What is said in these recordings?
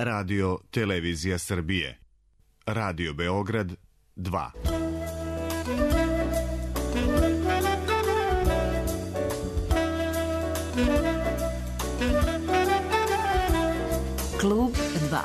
Radio Televizija Srbije. Radio Beograd 2. Klub 2.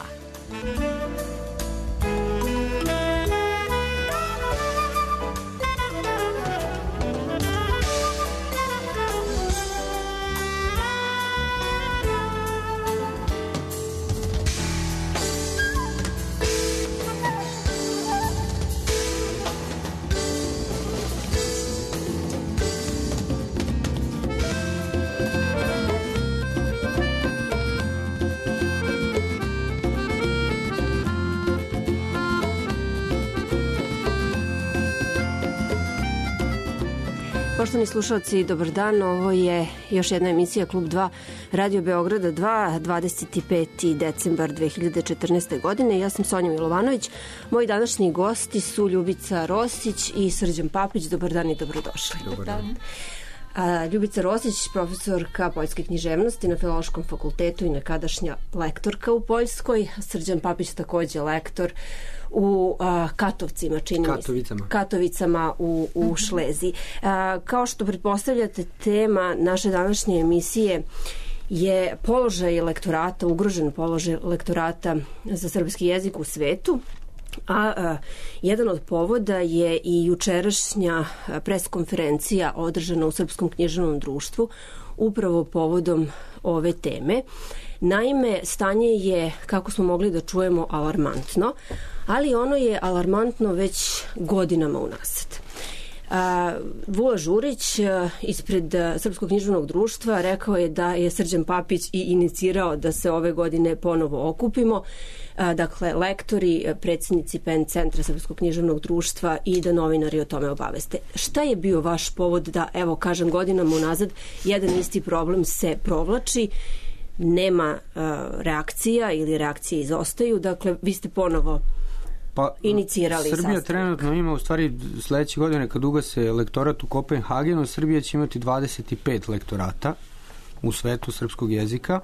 Poštovani slušalci, dobar dan. Ovo je još jedna emisija Klub 2 Radio Beograda 2, 25. decembar 2014. godine. Ja sam Sonja Milovanović. Moji današnji gosti su Ljubica Rosić i Srđan Papić. Dobar dan i dobrodošli. Dobar dan. Ljubica Rosić, profesorka poljske književnosti na Filološkom fakultetu i nekadašnja lektorka u Poljskoj. Srđan Papić takođe lektor u Katovcima, Katovicama u Šleziji. Kao što pretpostavljate, tema naše današnje emisije je položaj lektorata, ugrožen položaj lektorata za srpski jezik u svetu. Jedan od povoda je i jučerašnja preskonferencija održana u Srpskom književnom društvu upravo povodom ove teme. Naime, stanje je, kako smo mogli da čujemo, alarmantno, ali ono je alarmantno već godinama unazad. Vula Žurić ispred Srpskog književnog društva rekao je da je Srđan Papić i inicirao da se ove godine ponovo okupimo, dakle lektori, predsjednici PEN centra Srpskog književnog društva i da novinari o tome obaveste. Šta je bio vaš povod da, evo kažem, godinama unazad jedan isti problem se provlači, nema reakcija ili reakcije izostaju, dakle vi ste ponovo inicirali Srbija sastav. Trenutno ima, u stvari sledeće godine kad ugase lektorat u Kopenhagenu, Srbija će imati 25 lektorata u svetu srpskog jezika.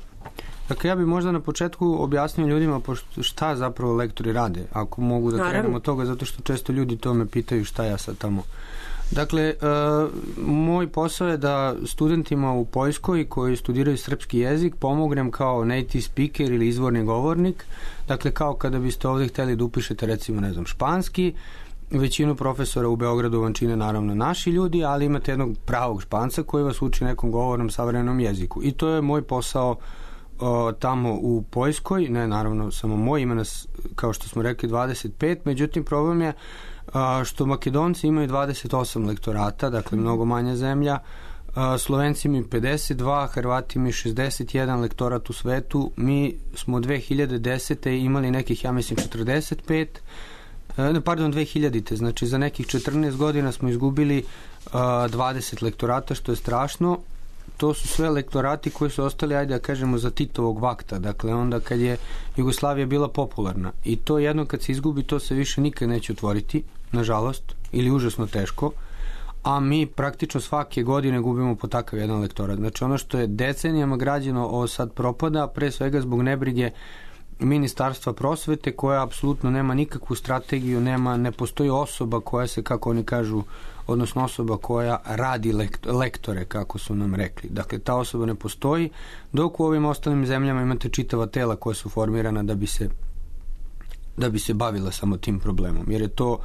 Dakle, ja bih možda na početku objasnio ljudima šta zapravo lektori rade, ako mogu da krenemo od toga, zato što često ljudi to me pitaju šta ja sad tamo. Dakle, moj posao je da studentima u Poljskoj koji studiraju srpski jezik pomognem kao native speaker ili izvorni govornik. Dakle, kao kada biste ovdje hteli da upišete recimo, ne znam, španski, većinu profesora u Beogradu vam čine naravno naši ljudi, ali imate jednog pravog Španca koji vas uči nekom govornom savremenom jeziku. I to je moj posao tamo u Poljskoj, ne naravno samo moj, ima nas, kao što smo rekli, 25, međutim problem je što Makedonci imaju 28 lektorata, dakle mnogo manja zemlja, Slovenci imaju 52, Hrvati imaju 61 lektorat u svetu, mi smo 2010. imali nekih, ja mislim, 45, pardon, 2000. Znači za nekih 14 godina smo izgubili 20 lektorata, što je strašno. To su sve lektorati koji su ostali, ajde da kažemo, za Titovog vakta, dakle onda kad je Jugoslavija bila popularna. I to jedno kad se izgubi, to se više nikad neće otvoriti, nažalost, ili užasno teško, a mi praktično svake godine gubimo po takav jedan lektorat. Znači ono što je decenijama građeno, ovo sad propada, pre svega zbog nebrige Ministarstva prosvete, koja apsolutno nema nikakvu strategiju, ne postoji osoba koja se, kako oni kažu, odnosno osoba koja radi lektore, kako su nam rekli. Dakle, ta osoba ne postoji, dok u ovim ostalim zemljama imate čitava tela koja su formirana da bi se bavila samo tim problemom, jer je to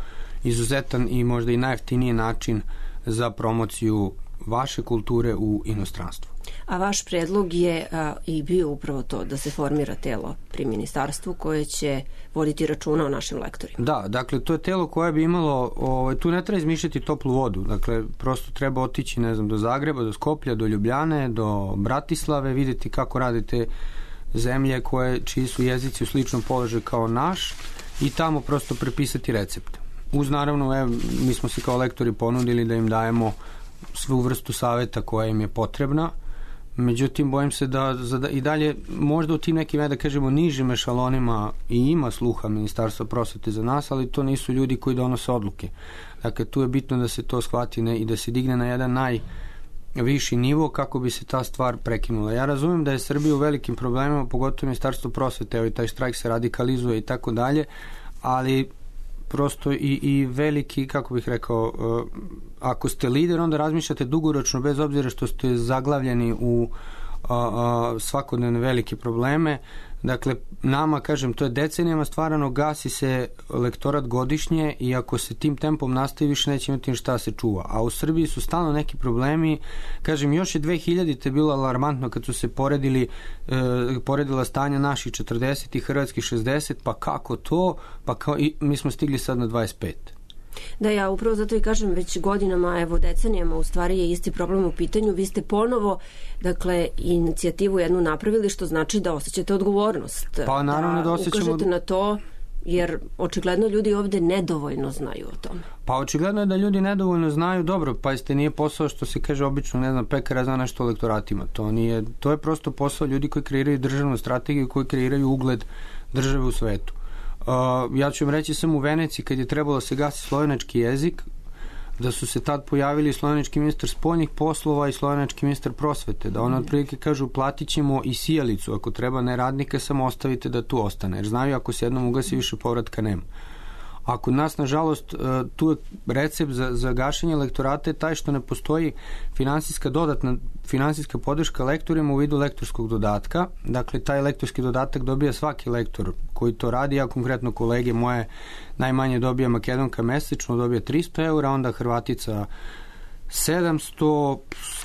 izuzetan i možda i najjeftiniji način za promociju vaše kulture u inostranstvu. A vaš predlog je i bio upravo to da se formira telo pri ministarstvu koje će voditi računa o našim lektorima. Da, dakle to je telo koje bi imalo, tu ne treba izmišljati toplu vodu, dakle prosto treba otići, ne znam, do Zagreba, do Skoplja, do Ljubljane, do Bratislave, vidjeti kako rade te zemlje čiji su jezici u sličnom položaju kao naš i tamo prosto prepisati recept. Uz naravno, mi smo se kao lektori ponudili da im dajemo svu vrstu saveta koja im je potrebna, međutim bojim se da i dalje možda u tim nekim, da kažemo, nižim ešalonima i ima sluha Ministarstva prosvete za nas, ali to nisu ljudi koji donose odluke. Dakle, tu je bitno da se to shvati i da se digne na jedan viši nivo kako bi se ta stvar prekinula. Ja razumijem da je Srbija u velikim problemima, pogotovo Ministarstvo prosvete, evo i taj štrajk se radikalizuje i tako dalje, ali prosto i veliki, kako bih rekao, ako ste lider, onda razmišljate dugoročno, bez obzira što ste zaglavljeni u svakodnevne velike probleme. Dakle, nama, kažem, to je decenijama stvarano, gasi se lektorat godišnje i ako se tim tempom nastavi, više neće imati šta se čuva. A u Srbiji su stalno neki problemi. Kažem, još je 2000-te bilo alarmantno kad su se poredila stanja naših 40 i hrvatskih 60, pa kako to? Pa i mi smo stigli sad na 25. Da, ja upravo zato i kažem, već godinama, evo decenijama, u stvari je isti problem u pitanju. Vi ste ponovo, dakle, inicijativu jednu napravili, što znači da osjećate odgovornost. Pa naravno da osjećamo... ukažete na to, jer očigledno ljudi ovde nedovoljno znaju o tome. Pa očigledno je da ljudi nedovoljno znaju. Dobro, pa jeste, nije posao što se kaže obično, ne znam, pekara zna nešto o lektoratima. To je prosto posao ljudi koji kreiraju državnu strategiju, koji kreiraju ugled države u svetu. Ja ću vam reći, sam u Veneciji kad je trebalo se gasi slovenački jezik, da su se tad pojavili slovenački ministar spoljnih poslova i slovenački ministar prosvete, da ono otprilike kažu platit ćemo i sijalicu, ako treba ne radnika, samo ostavite da tu ostane, jer znaju ako se jednom ugasi više povratka nema. A kod nas, nažalost, tu je recept za gašenje lektorata je taj što ne postoji finansijska podrška lektorima u vidu lektorskog dodatka. Dakle, taj lektorski dodatak dobija svaki lektor koji to radi. Ja konkretno kolege moje najmanje dobija Makedonka mesečno, dobija 300 eura, onda Hrvatica 700,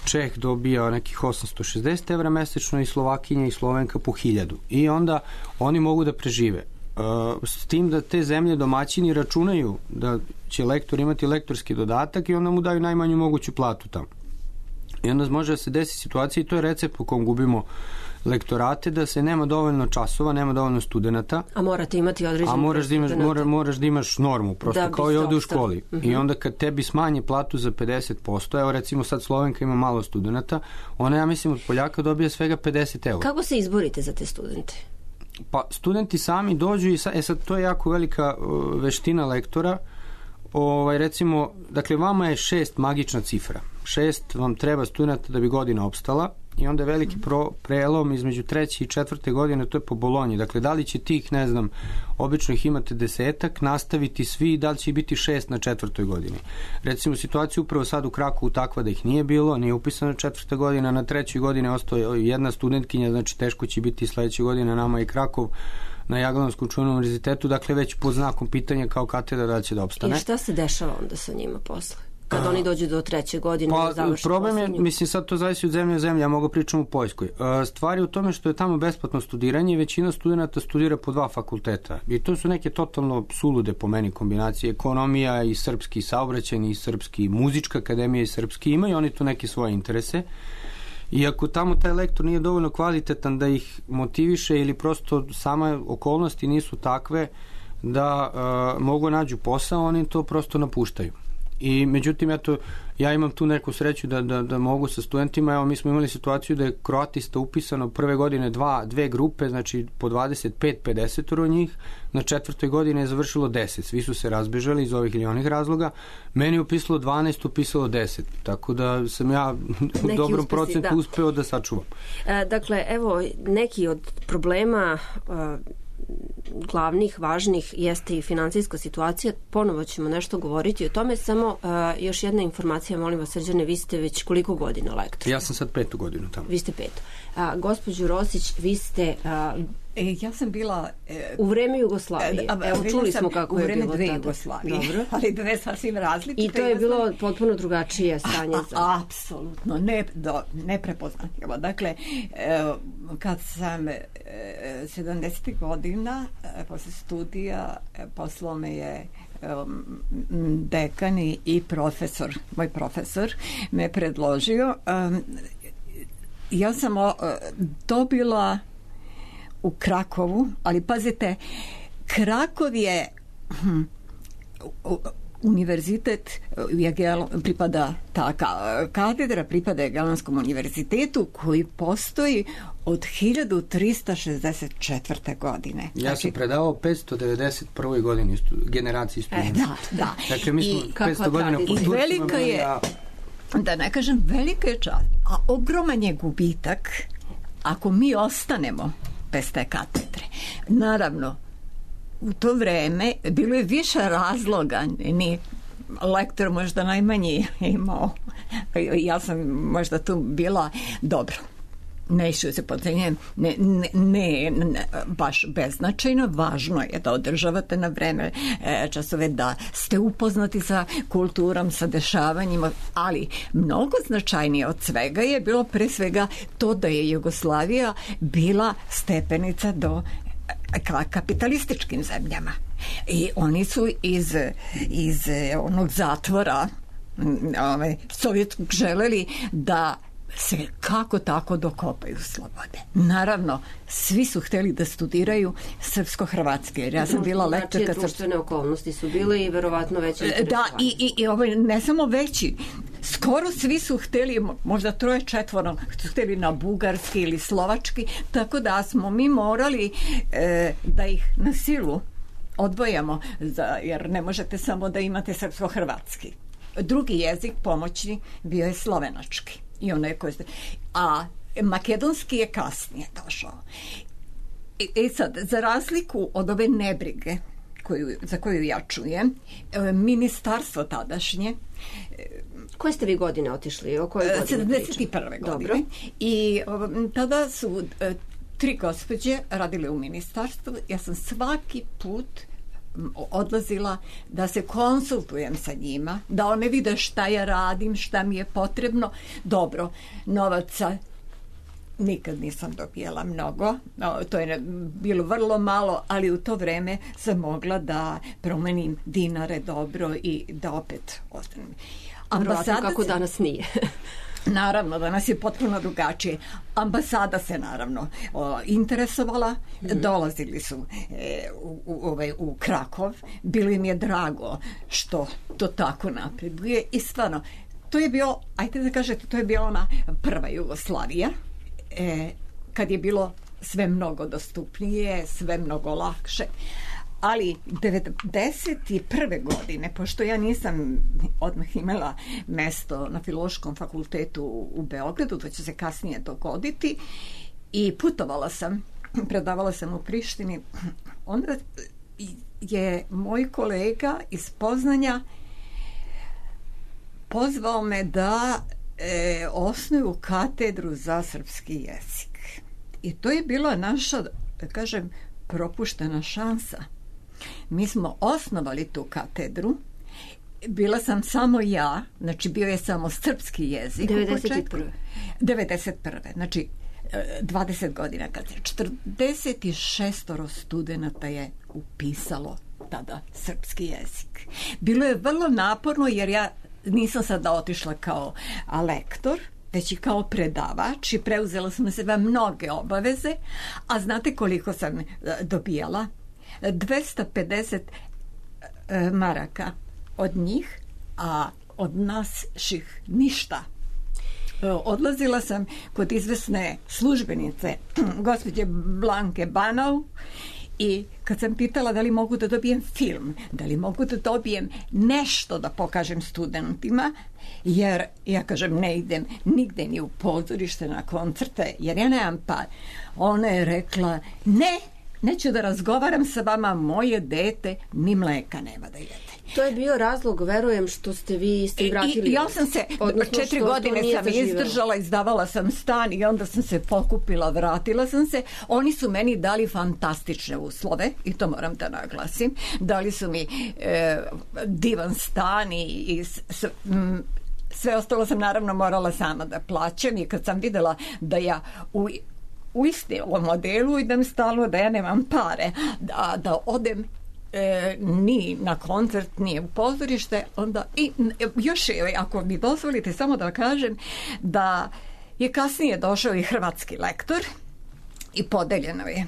Čeh dobija nekih 860 evra mesečno i Slovakinja i Slovenka po 1000. I onda oni mogu da prežive. S tim da te zemlje domaćini računaju da će lektor imati lektorski dodatak i onda mu daju najmanju moguću platu tamo. I onda može da se desi situacija, i to je recept po kom gubimo lektorate, da se nema dovoljno časova, nema dovoljno studenata. A morate imati određenu moraš da imaš normu, prosto kao i ovde u školi. I onda kad tebi smanje platu za 50%, evo recimo sad Slovenka ima malo studenata, ona, ja mislim, od Poljaka dobija svega 50 eura. Kako se izborite za te studente? Pa studenti sami dođu i sad to je jako velika veština lektora. Recimo, dakle, vama je 6 magična cifra. 6 vam treba studenta da bi godina opstala i onda je veliki prelom između 3. i 4. godine, to je po Bolonji. Dakle, da li će tih, ne znam, obično ih imate 10, nastaviti svi, da li će biti 6 na 4. godini. Recimo, situacija upravo sad u Krakovu takva da ih nije bilo, nije upisana 4. godina, na 3. godine ostao jedna studentkinja, znači teško će biti sledeće godine nama i Krakov na Jaglanskom čuvenom univerzitetu, dakle već pod znakom pitanja kao katedra da će da opstane. I šta se dešava onda sa njima posle? Kad oni dođu do 3. godine, pa, završi problem je, mislim, sad to zavisi od zemlje u zemlji, ja mogu pričam u Poljskoj. Stvar je u tome što je tamo besplatno studiranje i većina studenta studira po 2 fakulteta. I to su neke totalno sulude po meni kombinacije. Ekonomija i srpski saobraćajni i srpski, muzička akademija i srpski, imaju oni tu neke svoje interese. I ako tamo taj lektor nije dovoljno kvalitetan da ih motiviše ili prosto same okolnosti nisu takve da mogu nađu posao, oni to prosto napuštaju. I međutim, ja imam tu neku sreću da mogu sa studentima. Evo, mi smo imali situaciju da je kroatista upisano prve godine dve grupe, znači po 25-50 njih, na 4. godini je završilo 10. Svi su se razbežali iz ovih ili onih razloga. Meni je upisalo 12, upisalo 10. Tako da sam ja u dobrom procentu uspeo da sačuvam. Dakle, evo, neki od problema glavnih, važnih jeste i finansijska situacija. Ponovo ćemo nešto govoriti o tome, samo još jedna informacija, molim vas, Srđane, vi ste već koliko godina lektor? Ja sam sad 5. godinu tamo. Vi ste 5. Gospođo Rosić, vi ste... ja sam bila... u vreme Jugoslavije. Evo, čuli smo kako je bilo tada. U vreme 2 Jugoslavije, dobro. Ali 2 sasvim različite. I to je bilo potpuno drugačije stanje. Apsolutno, neprepoznatljivo. Dakle, kad sam 70. godina, posle studija, poslao me je dekan i profesor, moj profesor me predložio. Ja sam dobila u Krakovu, ali pazite, Krakov je univerzitet, pripada ta katedra, pripada Jagelanskom univerzitetu koji postoji od 1364. godine. Ja sam predavao 591. godini generaciji studenta. Da. Dakle, mi smo 500 godina po Turcima. Velika je da ne kažem velika je čast, a ogroman je gubitak ako mi ostanemo bez te katedre. Naravno, u to vreme bilo je više razloga, ni lektor možda najmanji imao, ja sam možda tu bila dobro. Neću se podcenjujem, ne baš beznačajno, važno je da održavate na vreme časove, da ste upoznati sa kulturom, sa dešavanjima, ali mnogo značajnije od svega je bilo pre svega to da je Jugoslavija bila stepenica do kapitalističkim zemljama. I oni su iz onog zatvora sovjetskog želeli da se kako tako dokopaju slobode. Naravno, svi su hteli da studiraju srpsko-hrvatske, jer ja sam bila lektorka. Znači, društvene okolnosti su bile i verovatno veće interesovanje. Da, i ne samo veći, skoro svi su hteli, možda 3-4 su hteli na bugarski ili slovački, tako da smo mi morali da ih na silu odvojamo, jer ne možete samo da imate srpsko-hrvatski. Drugi jezik pomoćni bio je slovenački. A makedonski je kasnije došao. I sad, za razliku od ove nebrige za koju ja čujem, ministarstvo tadašnje... Koje ste vi godine otišli? O kojoj godine 71. godine. I tada su 3 gospođe radile u ministarstvu. Ja sam svaki put odlazila da se konsultujem sa njima, da one vide šta ja radim, šta mi je potrebno. Dobro, novaca nikad nisam dobijala mnogo, to je bilo vrlo malo, ali u to vreme sam mogla da promenim dinare dobro i da opet ostanem. Ambasada kako danas nije. Naravno, danas je potpuno drugačije. Ambasada se naravno interesovala, dolazili su u Krakov, bilo im je drago što to tako napreduje i stvarno, to je bio, ajte da kažete, to je bila ona prva Jugoslavija, kad je bilo sve mnogo dostupnije, sve mnogo lakše. Ali 91. godine, pošto ja nisam odmah imala mesto na Filološkom fakultetu u Beogradu, to će se kasnije dogoditi, i putovala sam, predavala sam u Prištini, onda je moj kolega iz Poznanja pozvao me da osnuju katedru za srpski jezik. I to je bila naša, da kažem, propuštena šansa. Mi smo osnovali tu katedru, bila sam samo ja, znači bio je samo srpski jezik. 91. Znači 20 godina kad je 46 studenata je upisalo tada srpski jezik. Bilo je vrlo naporno jer ja nisam sada otišla kao lektor, već i kao predavač i preuzela sam na sebe mnoge obaveze, a znate koliko sam dobijala? 250 maraka od njih, a od naših ništa. Odlazila sam kod izvesne službenice, gospođe Blanke Banov, i kad sam pitala da li mogu da dobijem film, da li mogu da dobijem nešto da pokažem studentima, jer ja kažem ne idem nigde ni u pozorište na koncerte, jer ja nemam par. Ona je rekla neću da razgovaram sa vama, moje dete ni mleka nema da jede. To je bio razlog, verujem, što ste vi s tim vratili. Ja sam se, 4 godine sam izdržala, izdavala sam stan i onda sam se pokupila, vratila sam se. Oni su meni dali fantastične uslove, i to moram da naglasim. Dali su mi divan stan i sve ostalo sam naravno morala sama da plaćam, i kad sam videla da ja u istom modelu idem stalno, da ja nemam pare, da odem ni na koncert, ni u pozorište, onda i još ako mi dozvolite samo da kažem da je kasnije došao i hrvatski lektor i podeljeno je,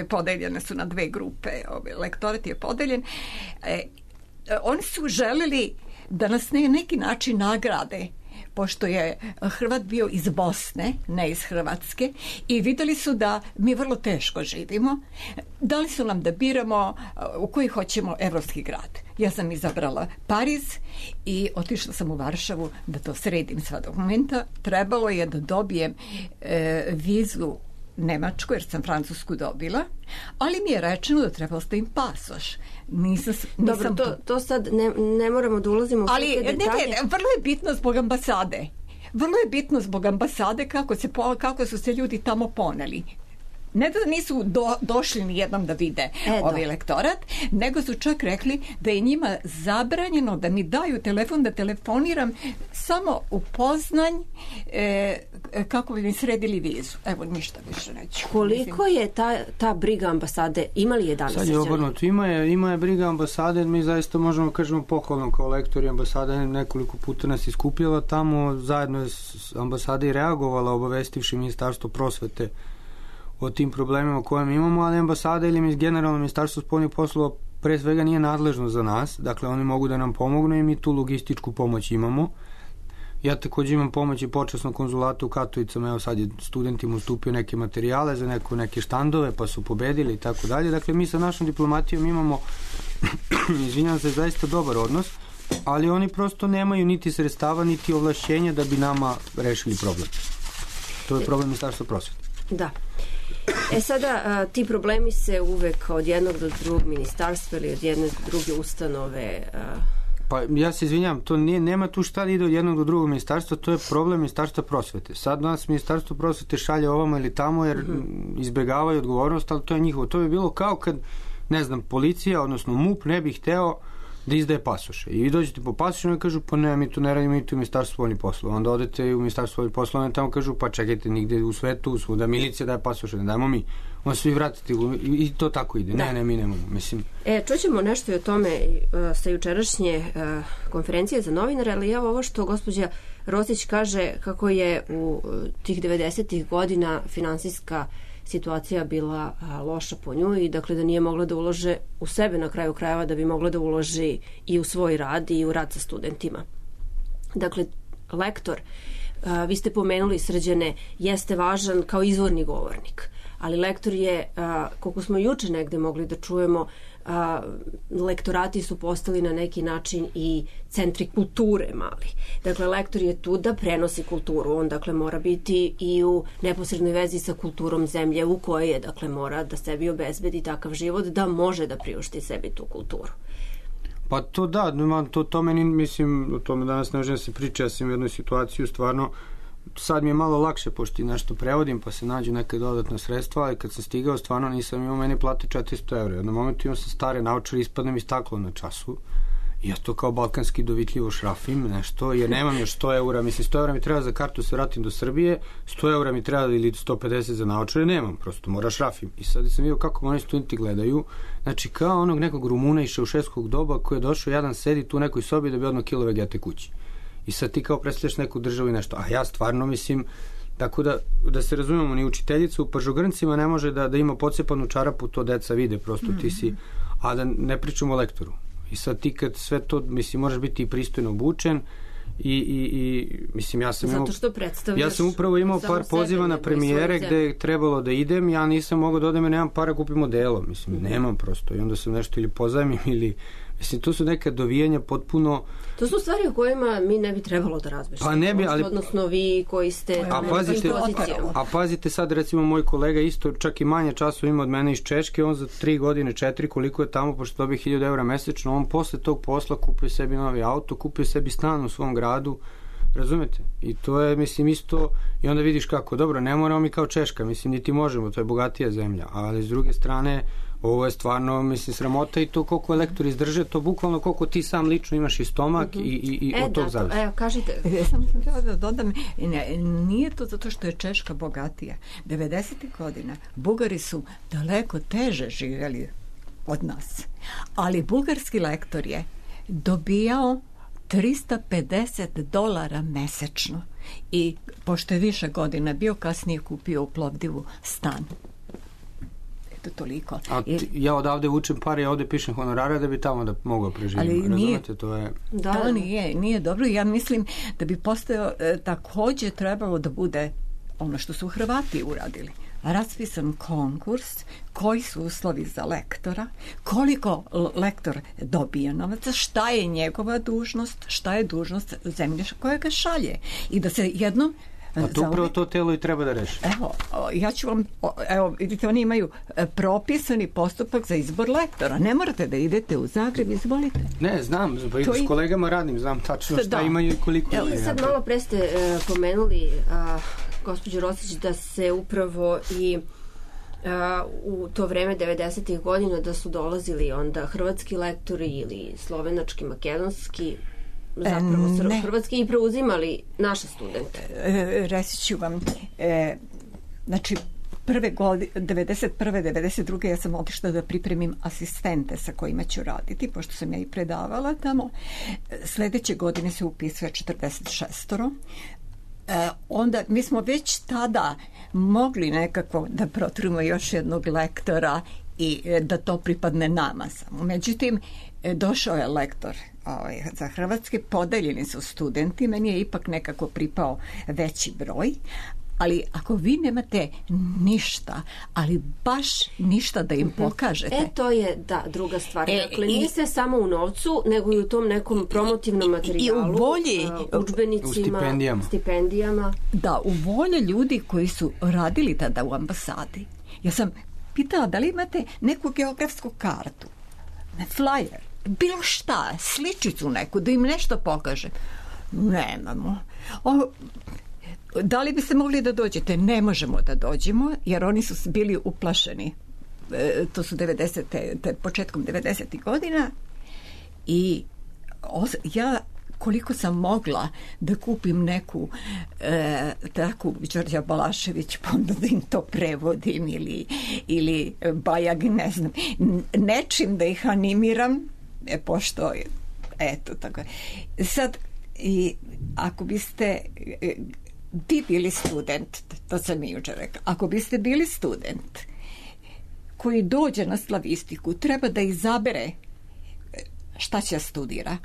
podeljene su na 2 grupe, lektorat je podeljen. Oni su želeli da nas na neki način nagrade pošto je Hrvat bio iz Bosne, ne iz Hrvatske, i vidjeli su da mi vrlo teško živimo. Dali su nam da biramo u koji hoćemo evropski grad. Ja sam izabrala Pariz i otišla sam u Varšavu da to sredim sva dokumenta. Trebalo je da dobijem vizu Nemačku, jer sam Francusku dobila, ali mi je rečeno da treba ostavim pasoš. Dobro, to sad ne moramo da ulazimo u sve te detalje. Ne, vrlo je bitno zbog ambasade. Vrlo je bitno zbog ambasade kako su se ljudi tamo poneli. Ne da nisu došli ni jednom da vide ovaj lektorat, nego su čak rekli da je njima zabranjeno da mi daju telefon, da telefoniram samo u Poznanj kako bi mi sredili vizu. Evo, ništa više neću. Koliko je ta briga ambasade? Ima li je danas? Sad je obrnuto. Ima je briga ambasade, mi zaista možemo kažemo pohvalno kao lektori. Ambasada nekoliko puta nas iskupljala tamo, zajedno je ambasada i reagovala, obavestivši Ministarstvo prosvete o tim problemima koje mi imamo, ali ambasada ili generalno Ministarstvo spoljnih poslova pre svega nije nadležno za nas, dakle oni mogu da nam pomognu i mi tu logističku pomoć imamo. Ja također imam pomoć i počasnog konzulata u Katovicama, evo sad je studentima ustupio neke materijale za neke štandove, pa su pobedili i tako dalje. Dakle, mi sa našom diplomatijom imamo, izvinjam se, zaista dobar odnos, ali oni prosto nemaju niti sredstava, niti ovlašćenja da bi nama rešili problem. To je problem Ministarstva prosvete. Da. Sada ti problemi se uvek od jednog do drugog ministarstva ili od jedne do druge ustanove. Pa ja se izvinjam, to nema tu šta da ide od jednog do drugog ministarstva, to je problem Ministarstva prosvete. Sad nas Ministarstvo prosvete šalje ovamo ili tamo jer izbegavaju odgovornost, ali to je njihovo. To bi bilo kao kad, ne znam, policija, odnosno MUP ne bi hteo da izdaje pasoše. I vi dođete po pasoše i kažu, pa ne, mi to ne radimo, mi to u Ministarstvu spoljnih poslova. Onda odete u Ministarstvo spoljnih poslova i tamo kažu, pa čekajte, nigde u svetu, svuda milicija daje pasoše, ne dajemo mi. Onda svi vratite i to tako ide. Da. Ne, mi nemamo. Mislim. Čućemo nešto i o tome sa jučerašnje konferencije za novinare, ali evo ovo što gospođa Rosić kaže kako je u tih 90-ih godina finansijska situacija bila loša po nju i dakle da nije mogla da ulože u sebe na kraju krajeva, da bi mogla da uloži i u svoj rad i u rad sa studentima. Dakle, lektor, vi ste pomenuli, Srđane, jeste važan kao izvorni govornik, ali lektor je, koliko smo juče negde mogli da čujemo, lektorati su postali na neki način i centri kulture mali. Dakle, lektor je tu da prenosi kulturu. On, dakle, mora biti i u neposrednoj vezi sa kulturom zemlje u kojoj je, dakle, mora da sebi obezbedi takav život da može da priušti sebi tu kulturu. Pa to da, to meni, mislim, o tome danas ne može da se priča, ja sam u jednoj situaciju stvarno, sad mi je malo lakše, pošto i nešto prevodim, pa se nađu neke dodatna sredstva, ali kad sam stigao, stvarno nisam imao, meni plate 400 €. Jednom momentu imam sam stare naočare, ispadne mi staklo na času. I ja to kao balkanski dovitljivo šrafim nešto, jer nemam još 100 €. Mislim, 100 € mi treba za kartu se vratim do Srbije, 100 € mi treba ili 150 za naočare, nemam, prosto mora šrafim. I sad sam vidio kako oni studenti gledaju, znači kao onog nekog Rumuna iz šeušeskog doba koji je došao jedan sedi tu u nekoj sobi da bi odno kilo vegete kući. I sad ti kao predstavljaš neku državu i nešto. A ja stvarno mislim, tako da se razumemo, ni učiteljica u Pažogrncima ne može da ima pocepanu čarapu, to deca vide, prosto ti si, a da ne pričamo o lektoru. I sad ti kad sve to, mislim, moraš biti i pristojno obučen i mislim, ja sam upravo imao par poziva na premijere gde je trebalo da idem, ja nisam mogao da odem jer nemam para, kupim odelo, mislim, nemam prosto i onda sam nešto ili pozajmim ili, mislim, to su neka dovijanja potpuno. To su stvari o kojima mi ne bi trebalo da razmišljamo. Pa ne bi, ali odnosno vi koji ste na nekim pozicijama. A pazite sad, recimo moj kolega isto čak i manje časova ima od mene iz Češke, on za 3 godine, 4, koliko je tamo, pošto dobije 1000 € mesečno, on posle tog posla kupio sebi novi auto, kupio sebi stan u svom gradu, razumete? I to je, mislim, isto, i onda vidiš kako, dobro, ne moramo mi kao Češka, mislim, niti možemo, to je bogatija zemlja, ali s druge strane, ovo je stvarno, mislim, sramota i to koliko lektori izdrže, to bukvalno koliko ti sam lično imaš i stomak i od tog zavisi. Evo, kažite. Sam htjela da dodam, nije to zato što je Češka bogatija. 90. godina Bugari su daleko teže živjeli od nas. Ali bugarski lektor je dobijao $350 mesečno i pošto je više godina bio, kasnije kupio u Plovdivu stan. eto toliko. A ja odavde učim pare, ja ovde pišem honorara da bi tamo da mogao preživiti. Razumete, to je... Da, nije dobro. Ja mislim da bi postojao također trebalo da bude ono što su Hrvati uradili. Raspisan konkurs, koji su uslovi za lektora, koliko lektor dobije novaca, šta je njegova dužnost, šta je dužnost zemlje koja ga šalje. I da se jednom... A to upravo to telo i treba da reši. Evo, ja ću vam, vidite, oni imaju propisani postupak za izbor lektora. Ne morate da idete u Zagreb, izvolite. Ne, znam, s kolegama radim, znam tačno šta imaju i koliko. I sad malo pre ste pomenuli, gospođo Rosić, da se upravo i u to vreme 90. godina da su dolazili onda hrvatski lektori ili slovenački, makedonski, zapravo hrvatski i preuzimali naše studente. Reći ću vam, znači prve godine, 91. 92. ja sam otišla da pripremim asistente sa kojima ću raditi, pošto sam ja i predavala tamo. Sledeće godine se upisuje 46. Onda mi smo već tada mogli nekako da proturimo još jednog lektora i da to pripadne nama samo. Međutim, došao je lektor za hrvatski, podeljeni su studenti, meni je ipak nekako pripao veći broj, ali ako vi nemate ništa, ali baš ništa da im pokažete. To je druga stvar. Dakle, nije sve samo u novcu, nego i u tom nekom promotivnom materijalu, i u volji, udžbenicima, stipendijama. Da, u volji ljudi koji su radili tada u ambasadi. Ja sam pitala da li imate neku geografsku kartu, flyer, bilo šta, sličicu neku, da im nešto pokaže. Nemamo. Da li biste mogli da dođete? Ne možemo da dođemo, jer oni su bili uplašeni. To su početkom 90. godina i ja koliko sam mogla da kupim neku takvu Đorđa Balašević, pa onda da im to prevodim ili Bajag, ne znam, nečim da ih animiram, pošto eto tako. Sad, i ako biste vi bili student, to sam mi jučer rekla, ako biste bili student koji dođe na slavistiku, treba da izabere šta će studira.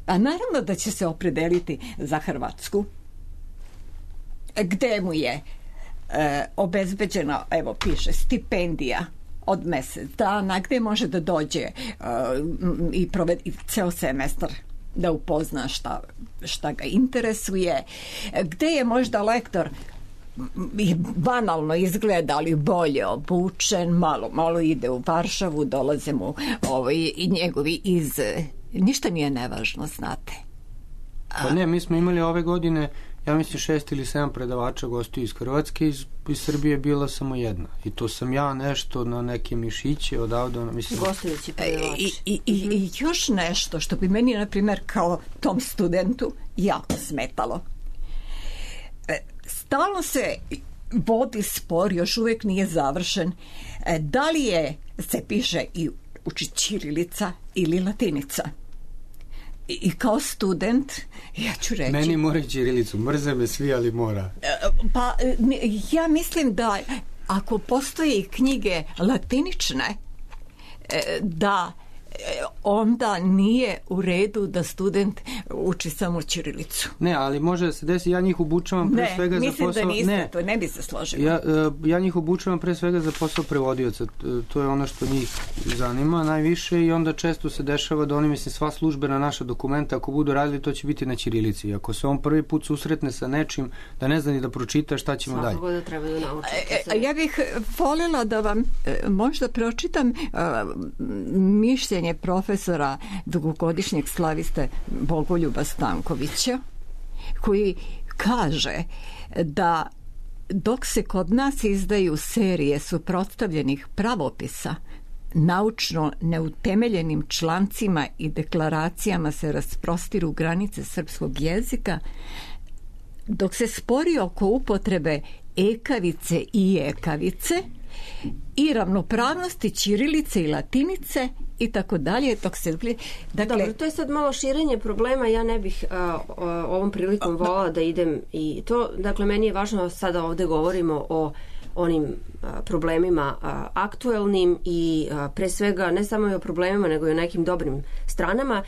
A naravno da će se opredeliti za Hrvatsku, gde mu je obezbeđena, evo piše, stipendija od mesec dana, gde može da dođe i provedi ceo semestar da upozna šta ga interesuje, gde je možda lektor banalno izgleda, ali bolje obučen, malo ide u Varšavu, dolaze mu i njegovi iz... Ništa nije nevažno, znate. Pa ne, mi smo imali ove godine, ja mislim 6 ili 7 predavača gostiju iz Hrvatske, iz Srbije bila samo jedna. I to sam ja nešto na neke mišiće odavde, mislim... Gostujući predavači. I još nešto što bi meni, na primjer, kao tom studentu jako smetalo. Stalno se vodi spor, još uvijek nije završen, da li se piše i uči ćirilica ili latinica. I kao student, ja ću reći... Meni mora ćirilicu, mrze me svi, ali mora. Pa, ja mislim da ako postoje knjige latinične, da onda nije u redu da student uči samo ćirilicu. Ne, ali može da se desi, ja njih obučavam pre svega za posao... Ne, mislim da niste, to ne bi se složila. Ja njih obučavam pre svega za posao prevodioca, to je ono što njih zanima najviše i onda često se dešava da oni, mislim, sva službena naša dokumenta, ako budu radili, to će biti na ćirilici. Ako se on prvi put susretne sa nečim, da ne zna ni da pročita, šta ćemo dalje? Svakako da treba da naučite. Ja bih voljela da vam možda pročitam mišljenje profesora dugogodišnjeg slaviste Bogoljuba Stankovića, koji kaže da dok se kod nas izdaju serije suprotstavljenih pravopisa, naučno neutemeljenim člancima i deklaracijama se rasprostiru granice srpskog jezika, dok se spori oko upotrebe ekavice i ekavice i ravnopravnosti ćirilice i latinice i tako dalje, dok se... Dakle, dobro, to je sad malo širenje problema, ja ne bih ovom prilikom volala da idem i to, dakle, meni je važno, sada ovde govorimo o onim problemima aktuelnim i pre svega ne samo i o problemima nego i o nekim dobrim stranama.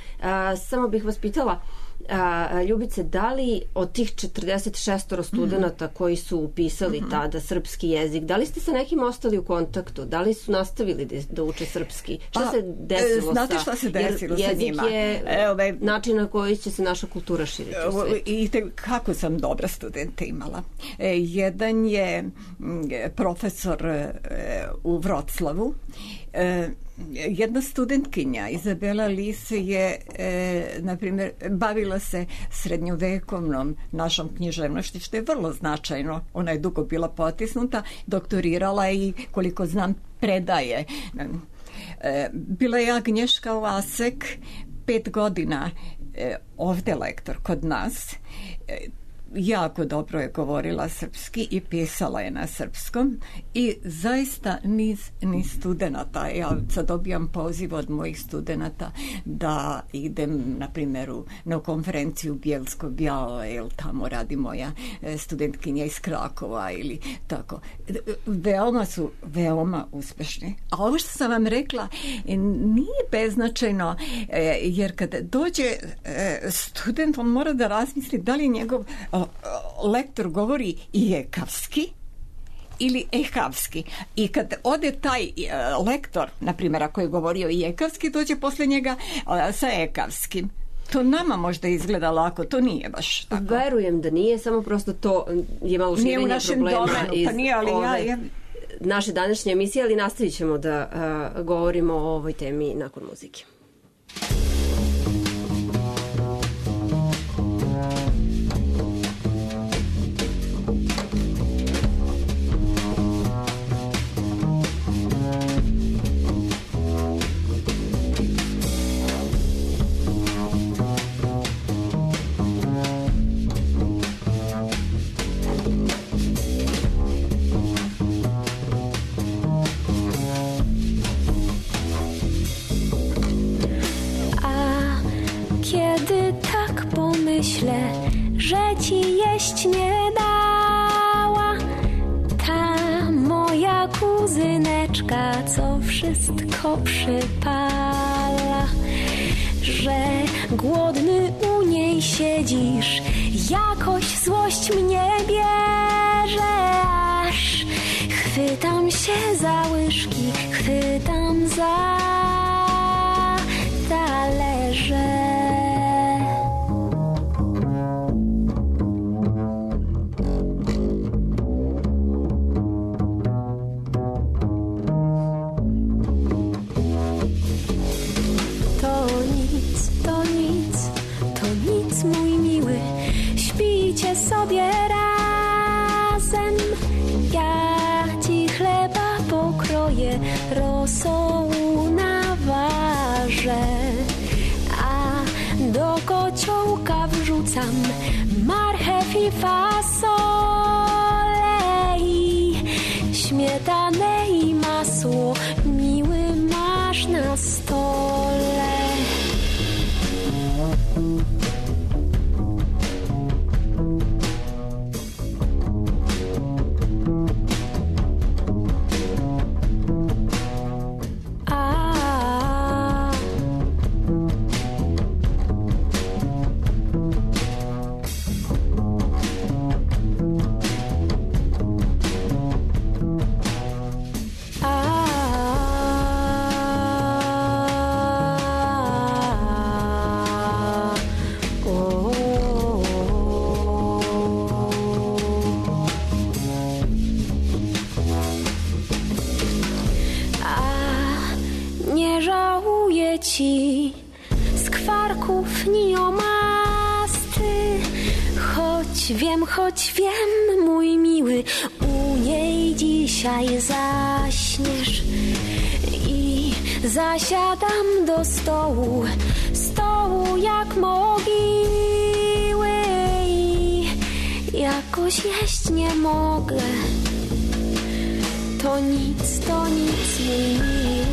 Samo bih vas pitala, Ljubice, da li od tih 46 studenta koji su upisali tada srpski jezik, da li ste sa nekim ostali u kontaktu? Da li su nastavili da uče srpski? Šta se desilo znate šta se desilo sa njima? Jezik je način na koji će se naša kultura širiti u svijetu. I kako sam dobra studenta imala. Jedan je profesor u Vroclavu. Jedna studentkinja, Izabela Lis, je, na primjer, bavila se srednjovekovnom našom književnošću, što je vrlo značajno. Ona je dugo bila potisnuta, doktorirala i, koliko znam, predaje. Bila je Agnješka Lasek, 5 godina ovdje lektor kod nas. Jako dobro je govorila srpski i pisala je na srpskom i zaista niz studenata. Ja sad dobijam poziv od mojih studenata da idem, na primjer, na konferenciju Bielsko-Bialo, jer tamo radi moja studentkinja iz Krakova ili tako. Veoma uspešni. A ovo što sam vam rekla nije beznačajno, jer kad dođe student, on mora da razmisli da li njegov lektor govori ijekavski ili ehavski. I kad ode taj lektor, na primjer, ako je govorio ijekavski, dođe posle njega sa ekavskim. To nama možda izgleda lako, to nije baš tako. Verujem da nije, samo prosto to je malo širenje problema iz naše današnje emisije, ali nastavit ćemo da govorimo o ovoj temi nakon muzike. Myślę, że ci jeść nie dała ta moja kuzyneczka, co wszystko przypala, że głodny u niej siedzisz, jakoś złość mnie bierze, aż chwytam się za łyżki, chwytam za talerze. Mój miły, śpijcie sobie razem, ja ci chleba pokroję, rosołu naważę, a do kociołka wrzucam marchew i fasolę i śmietanę i masło, miły, masz na stole. Ci skwarków ni omasty, choć wiem, mój miły, u niej dzisiaj zaśniesz i zasiadam do stołu jak mogiły i jakoś jeść nie mogę. To nic, mój miły.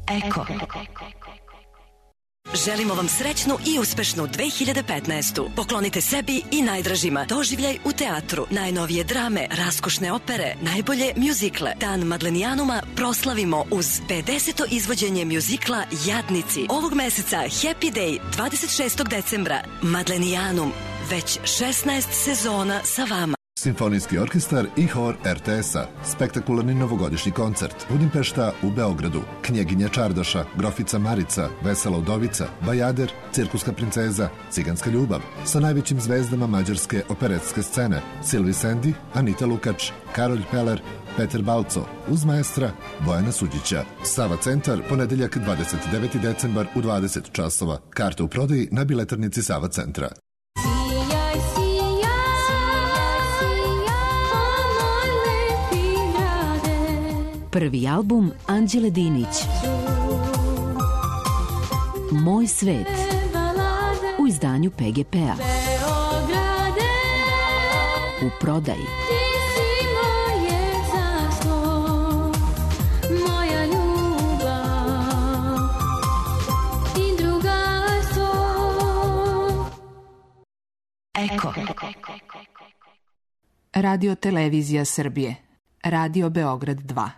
Eko. Želimo vam srećnu i uspešnu 2015. Poklonite sebi i najdražima doživljaj u teatru, najnovije drame, raskošne opere, najbolje mjuzikle. Dan Madlenijanuma proslavimo uz 50. izvođenje mjuzikla Jadnici. Ovog meseca Happy Day 26. decembra. Madlenijanum, već 16 sezona sa vama. Simfonijski orkestar i hor RTS-a. Spektakularni novogodišnji koncert. Budimpešta u Beogradu. Knjeginja Čardaša, Grofica Marica, Vesela udovica, Bajader, Cirkuska princeza, Ciganska ljubav. Sa najvećim zvezdama mađarske operetske scene. Silvi Sendi, Anita Lukač, Karolj Peler, Peter Balco, uz maestra Bojana Suđića. Sava centar, ponedeljak 29. decembar u 20 časova. Karte u prodaji na biletarnici Sava centra. Prvi album Anđele Dinić. Moj svet. U izdanju PGP-a. U prodaji. Eko. Radio Televizija Srbije. Radio Beograd 2.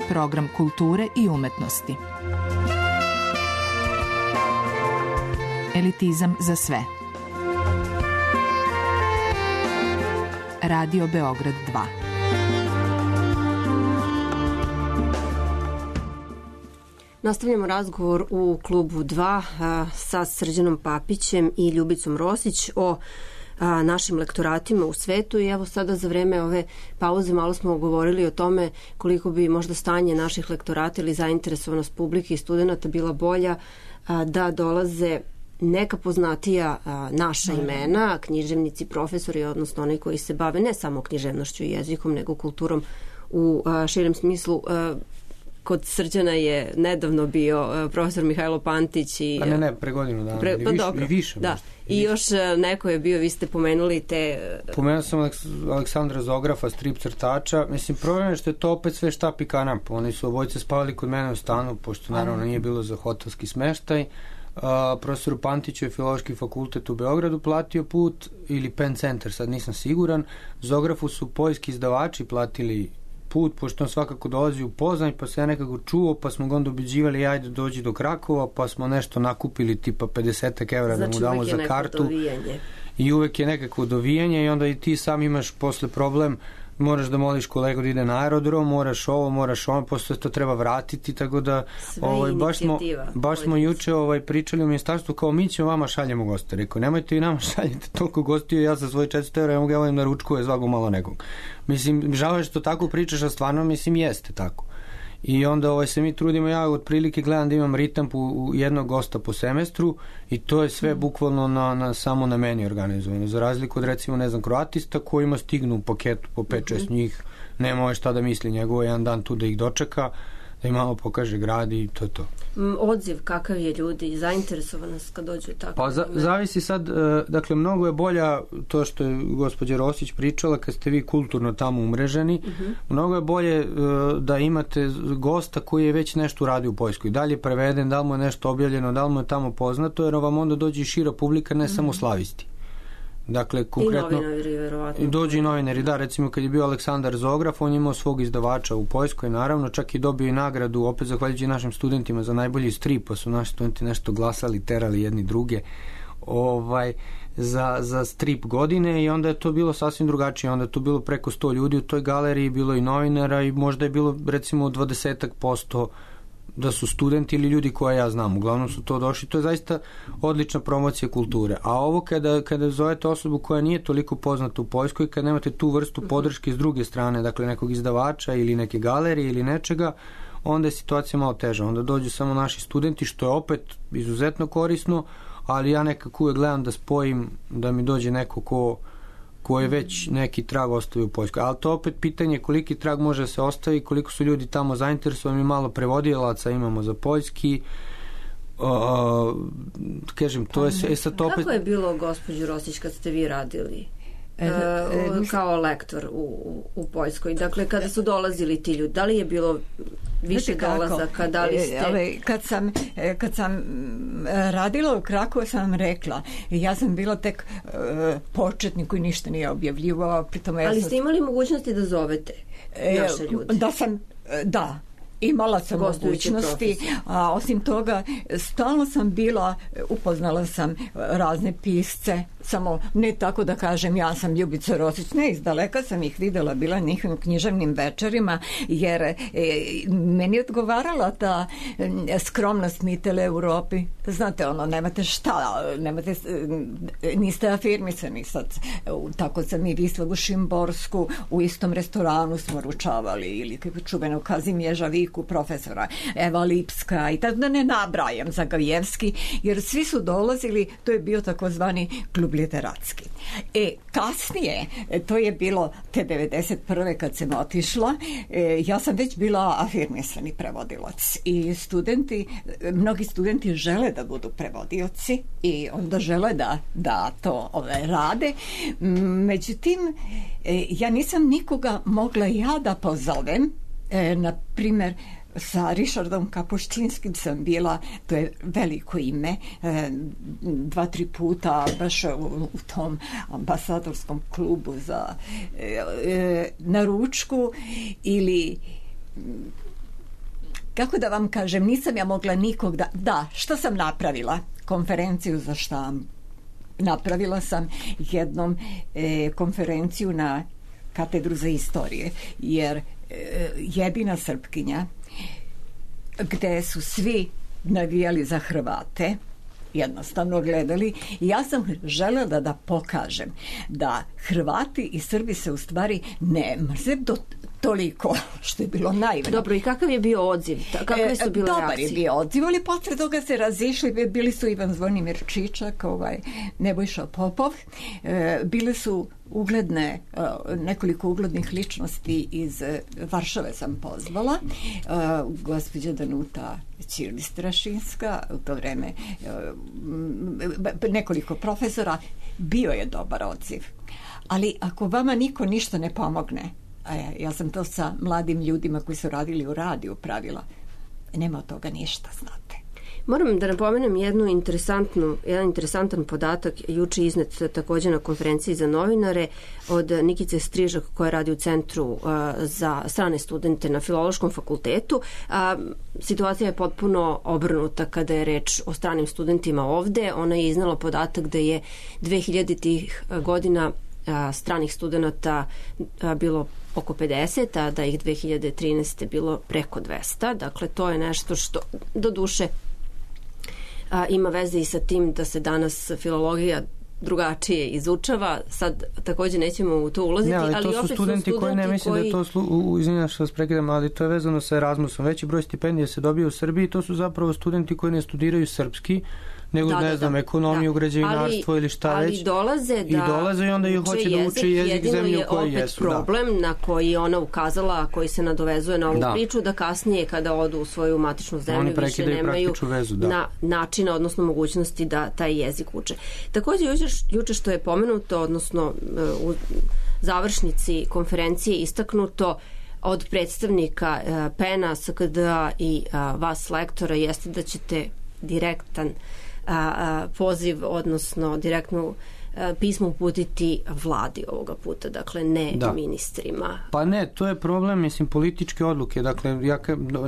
Program kulture i umetnosti. Elitizam za sve. Radio Beograd 2. Nastavljamo razgovor u klubu 2 sa Srđanom Papićem i Ljubicom Rosić o našim lektoratima u svetu i evo sada za vreme ove pauze malo smo govorili o tome koliko bi možda stanje naših lektorata ili zainteresovanost publike i studenta bila bolja da dolaze neka poznatija naša imena, književnici, profesori, odnosno oni koji se bave ne samo književnošću i jezikom, nego kulturom u širem smislu. Kod Srđana je nedavno bio profesor Mihajlo Pantić i... pre godinu dana. Više. Da. I još neko je bio, vi ste pomenuli te... Pomenuo sam Aleksandra Zografa, strip crtača. Mislim, problem je što je to opet sve štap i kanap. Oni su obojce spavali kod mene u stanu, pošto naravno nije bilo za hotelski smeštaj. Profesoru Pantiću je Filološki fakultet u Beogradu platio put, ili Pen Centar, sad nisam siguran. Zografu su poljski izdavači platili put, pošto on svakako dolazi u Poznanj, pa se ja nekako čuo, pa smo ga onda ubeđivali ajde dođi do Krakova, pa smo nešto nakupili tipa 50 evra da mu damo za kartu. I uvek je nekako dovijanje i onda i ti sam imaš posle problem, moraš da moliš kolegu da ide na aerodrom, moraš ovo, moraš ono, posle to treba vratiti, tako da baš smo juče pričali u ministarstvu kao mi ćemo vama šaljemo goste. Rekao, nemojte i nama šaljete toliko gostiju, ja za svoje 400 evra ja mogu na ručku je zvago malo nekog. Mislim, žao je što tako pričaš, a stvarno mislim jeste tako. I onda se mi trudimo, ja otprilike gledam da imam ritam u jednog gosta po semestru i to je sve bukvalno samo na meni organizovano. Za razliku od recimo, ne znam, kroatista kojima stignu u paketu po 5-6 njih, nema šta da misli, njegovo jedan dan tu da ih dočeka, da im malo pokaže grad i to je to. Odziv kakav je ljudi, zainteresovanost kad dođu tako? Pa zavisi sad, dakle mnogo je bolja to što je gospođa Rosić pričala kad ste vi kulturno tamo umreženi, mnogo je bolje da imate gosta koji je već nešto uradio u Poljskoj, da li je preveden, da li mu je nešto objavljeno, da li mu je tamo poznato, jer vam onda dođe i šira publika, ne samo slavisti. Dakle, konkretno, i novinari, verovatno. Dođu i novinari, da, recimo kad je bio Aleksandar Zograf, on je imao svog izdavača u Poljskoj, naravno, čak i dobio i nagradu, opet zahvaljujući našim studentima za najbolji strip, pa su naši studenti nešto glasali, terali jedni druge za strip godine i onda je to bilo sasvim drugačije, onda je to bilo preko 100 ljudi u toj galeriji, bilo i novinara i možda je bilo recimo 20% da su studenti ili ljudi koje ja znam, uglavnom su to došli, to je zaista odlična promocija kulture. A ovo kada zovete osobu koja nije toliko poznata u Poljskoj, kad nemate tu vrstu podrške s druge strane, dakle nekog izdavača ili neke galerije ili nečega, onda je situacija malo teža. Onda dođu samo naši studenti, što je opet izuzetno korisno, ali ja nekako uvek gledam da spojim, da mi dođe neko ko je već neki trag ostavio u Poljskoj. Ali to opet pitanje koliki trag može da se ostavi, koliko su ljudi tamo zainteresovani, malo prevodilaca imamo za poljski. Kažem, to je sad opet... Kako je bilo, gospođo Rosić, kad ste vi radili kao lektor u Poljskoj. Dakle, kada su dolazili ti ljudi, da li je bilo više dolazaka, da li ste... Kad sam radila u Krakovu, sam rekla, ja sam bila tek početnik koji ništa nije objavljivao. Ali ste imali mogućnosti da zovete naše ljude? Da. Imala sam mogućnosti, a osim toga stalno sam bila, upoznala sam razne pisce, samo ne tako da kažem ja sam Ljubica Rosić, ne, izdaleka sam ih videla, bila na njihovim književnim večerima, jer meni je odgovarala ta skromnost Mitele Europi. Znate, nemate šta, niste afirmisani sad. Tako sam i Vislavu Šimborsku u istom restoranu smo ručavali, ili čuvenog Kazimježa Viku, profesora Eva Lipska, i tako da ne nabrajam, Zagajevski, jer svi su dolazili, to je bio takozvani klub literatski. Kasnije, to je bilo te 91. kad sam otišla, ja sam već bila afirmisani prevodilac i mnogi studenti žele da budu prevodioci i onda žele da to rade. Međutim, ja nisam nikoga mogla ja da pozovem. Na primjer, sa Richardom Kapuštinskim sam bila, to je veliko ime, 2-3 puta baš u tom ambasadorskom klubu na ručku, ili kako da vam kažem, nisam ja mogla nikog što sam napravila? Konferenciju za štampu. Napravila sam jednom konferenciju na katedru za istorije, jer jedina Srpkinja gde su svi navijali za Hrvate, jednostavno gledali, i ja sam želela da pokažem da Hrvati i Srbi se u stvari ne mrze toliko, što je bilo naivno. Dobro, i kakav je bio odziv? Kakve su bile dobar reakcije? Je bio odziv, ali posle toga se razišli, bili su Ivan Zvonimir Čičak, Nebojša Popov, bile su ugledne, nekoliko uglednih ličnosti iz Varšave sam pozvala, gospođa Danuta Ćirli-Strašinska, u to vreme nekoliko profesora, bio je dobar odziv. Ali ako vama niko ništa ne pomogne, ja sam to sa mladim ljudima koji su radili u radiju pravila, nema od toga ništa, znate. Moram da napomenem jedan interesantan podatak, juče iznet također na konferenciji za novinare od Nikice Strižak, koja radi u Centru za strane studente na Filološkom fakultetu. Situacija je potpuno obrnuta kada je reč o stranim studentima ovde. Ona je iznala podatak da je 2000-ih godina stranih studenta bilo oko 50, a da ih 2013. bilo preko 200. Dakle, to je nešto što do duše ima veze i sa tim da se danas filologija drugačije izučava. Sad također nećemo u to ulaziti, ali to su studenti koji ne mislim da to izvinjam što vas prekidam, ali to je vezano sa Erasmusom. Veći broj stipendija se dobije u Srbiji, to su zapravo studenti koji ne studiraju srpski, nego ekonomiju, građevinarstvo ili šta već. Ali dolaze i onda ih hoće da uče jezik zemlje u kojoj jesu. Jedino je opet problem na koji ona ukazala, koji se nadovezuje na ovu priču, da kasnije kada odu u svoju matičnu zemlju više nemaju načina, odnosno mogućnosti da taj jezik uče. Također juče što je pomenuto, odnosno u završnici konferencije istaknuto od predstavnika PEN-a, SKD-a i vas lektora, jeste da ćete direktan poziv, odnosno direktno pismo uputiti vladi ovoga puta, dakle ne ministrima. Pa ne, to je problem, mislim, političke odluke, dakle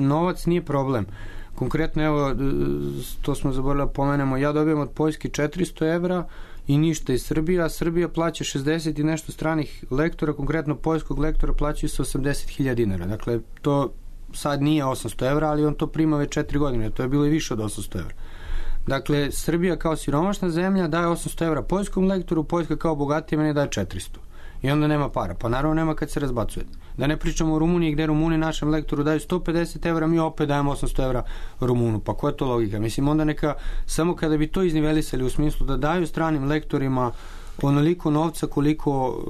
novac nije problem. Konkretno, evo, to smo zaboravili da pomenemo, ja dobijem od Poljske 400 evra i ništa iz Srbije, a Srbija plaća 60 i nešto stranih lektora, konkretno poljskog lektora plaćaju se 80.000 dinara. Dakle, to sad nije 800 evra, ali on to prima već 4 godine, to je bilo i više od 800 evra. Dakle, Srbija kao siromašna zemlja daje 800 evra poljskom lektoru, Poljska kao bogatija meni daje 400. I onda nema para. Pa naravno nema kad se razbacuje. Da ne pričamo o Rumuniji, gde Rumuni našem lektoru daju 150 evra, mi opet dajemo 800 evra Rumunu. Pa koja je to logika? Mislim, onda neka, samo kada bi to iznivelisali u smislu da daju stranim lektorima onoliko novca koliko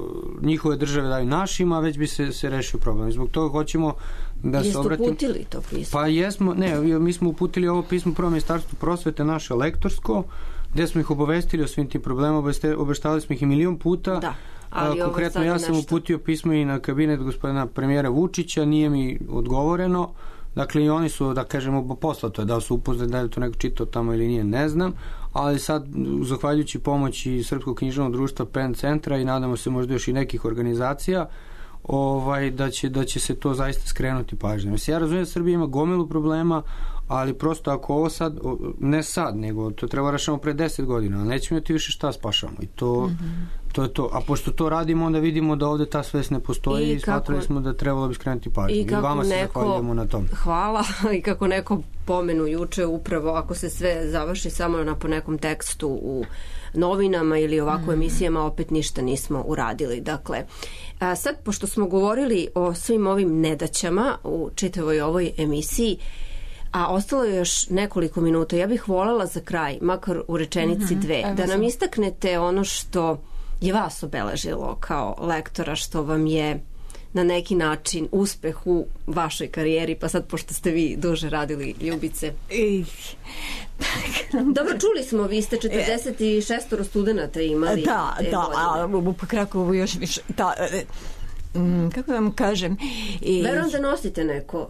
njihove države daju našima, već bi se rešio problem. Zbog toga hoćemo da se obratimo. Jeste uputili to pismo? Pa jesmo, mi smo uputili ovo pismo prvo Ministarstvu prosvete, naše lektorsko, gde smo ih obavestili o svim tim problemima, obeštavali smo ih i 1.000.000 puta, Konkretno ja sam uputio pismo i na kabinet gospodina premijera Vučića, nije mi odgovoreno. Dakle, i oni su, da kažemo, poslato je, da su upoznali, da je to neko čitao tamo ili nije, ne znam, ali sad, zahvaljujući pomoći Srpskog književnog društva PEN centra i nadamo se možda još i nekih organizacija, da će se to zaista skrenuti pažnje. Mislim, ja razumijem da Srbija ima gomilu problema, ali prosto ako ovo sad, ne sad, nego to treba rešamo pre 10 godina, ali nećemo imati više šta spašamo i to je to. A pošto to radimo, onda vidimo da ovde ta svest ne postoji i smatrali smo da trebalo bi skrenuti pažnju. I vama se zahvaljujemo na tom. Hvala. I kako neko pomenu juče, upravo ako se sve završi samo po nekom tekstu u novinama ili ovako emisijama, opet ništa nismo uradili. Dakle, sad, pošto smo govorili o svim ovim nedaćama u čitavoj ovoj emisiji, a ostalo je još nekoliko minuta, ja bih voljela za kraj, makar u rečenici dve, da nam istaknete ono što je vas obeležilo kao lektora, što vam je na neki način uspeh u vašoj karijeri, pa sad pošto ste vi duže radili, Ljubice. Dobro, čuli smo, vi ste 46 studenta imali. Da, a u Krakovu još više. Kako vam kažem? Verujem da nosite neko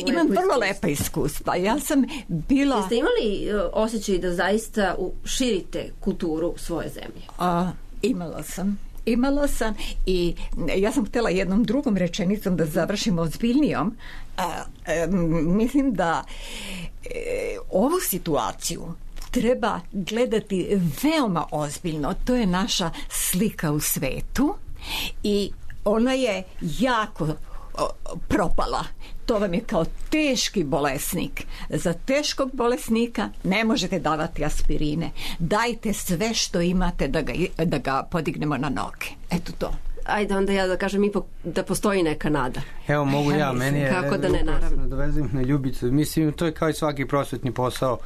imam vrlo lepa iskustva. Ja sam bila... Jeste imali osjećaj da zaista širite kulturu svoje zemlje? Imala sam i ja sam htjela jednom drugom rečenicom da završim ozbiljnijom. Mislim da ovu situaciju treba gledati veoma ozbiljno. To je naša slika u svetu i ona je jako propala. To vam je kao teški bolesnik. Za teškog bolesnika ne možete davati aspirine. Dajte sve što imate da ga podignemo na noge. Eto to. Ajde onda ja da kažem ipak da postoji neka nada. Evo mogu ja, meni je... Kako da ne, naravno. Dovezim na Ljubicu. Mislim, to je kao i svaki prosvetni posao.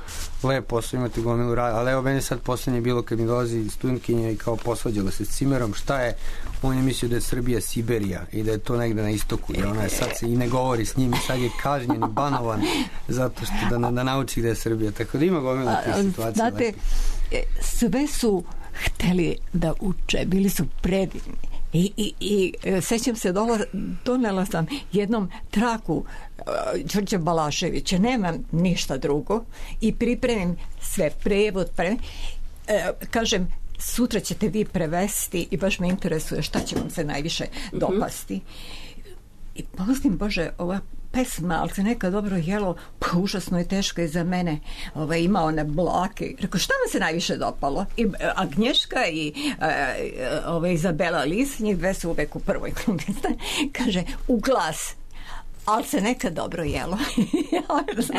Lep posao, imate gomilu rada. Ali evo, meni sad poslednje bilo kad mi dolazi studentkinja i kao posvađala se s cimerom. Šta je? On je mislio da je Srbija Siberija i da je to negde na istoku. I ona je sad se i ne govori s njim i sad je kažnjen i banovan zato što da nauči da je Srbija. Tako da ima gomila tih situacija. Znate, sve su hteli da uče. Bili su predivni. I sećam se, donela sam jednom traku Đorđa Balaševića, nemam ništa drugo i pripremim sve, prevod, kažem, sutra ćete vi prevesti i baš me interesuje šta će vam se najviše dopasti. I pomislim, Bože, ova pesma, ali se neka dobro jelo, pa užasno je teška i za mene. Ima one blake. Rekao, šta vam se najviše dopalo? I Agnješka i Izabela Lis, njih dve su uvek u prvoj klubi. Kaže, u glas. Ali se nekad dobro jelo.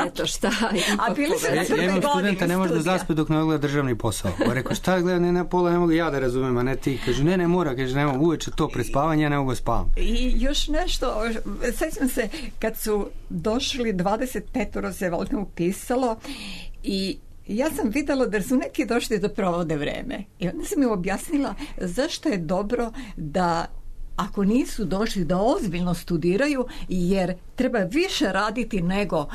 Eto šta. A bili su na prvoj godini studenta ne može da zaspe dok ne gleda državni posao. Rekao, šta gleda, ne na pola, ne mogu ja da razumem, a ne ti. Kaže, ne mora, kaže, ne mogu uveče to pred spavanje, ja ne mogu spavam. I još nešto, sećam se, kad su došli 25 se valjda upisalo i ja sam videla da su neki došli da provode vreme. I onda sam mi objasnila zašto je dobro da ako nisu došli da ozbiljno studiraju, jer treba više raditi nego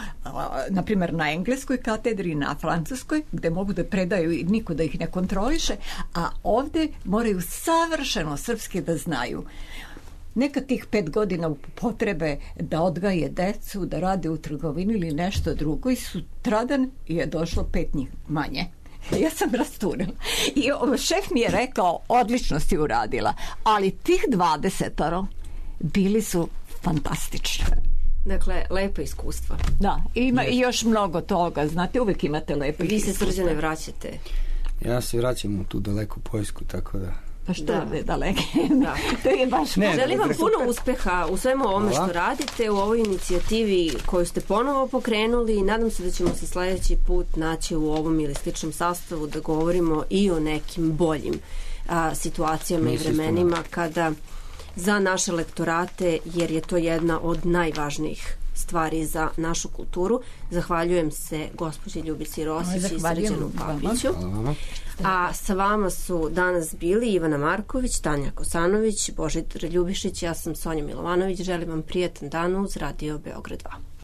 na primjer na engleskoj katedri, na francuskoj, gde mogu da predaju i niko da ih ne kontroliše, a ovde moraju savršeno srpski da znaju. Neka tih 5 godina potrebe da odgaje decu, da rade u trgovini ili nešto drugo i sutradan je došlo 5 njih manje. Ja sam rasturila. I šef mi je rekao, odlično si uradila, ali tih 20 bili su fantastični. Dakle, lepa iskustva. Da, ima i još mnogo toga, znate, uvek imate lepo iskustva. Vi se, Srđane, vraćate? Ja se vraćam u tu daleku Poljsku, tako da... Pa što je daleke? To je baš... Želim vam puno uspeha u svemu ovome što radite, u ovoj inicijativi koju ste ponovo pokrenuli. Nadam se da ćemo se sledeći put naći u ovom ili sličnom sastavu da govorimo i o nekim boljim situacijama i vremenima kada za naše lektorate, jer je to jedna od najvažnijih stvari za našu kulturu. Zahvaljujem se gospođi Ljubici Rosić i Srđanu Papiću. A sa vama su danas bili Ivana Marković, Tanja Kosanović, Božidar Ljubišić, ja sam Sonja Milovanović. Želim vam prijatan dan uz Radio Beograd 2.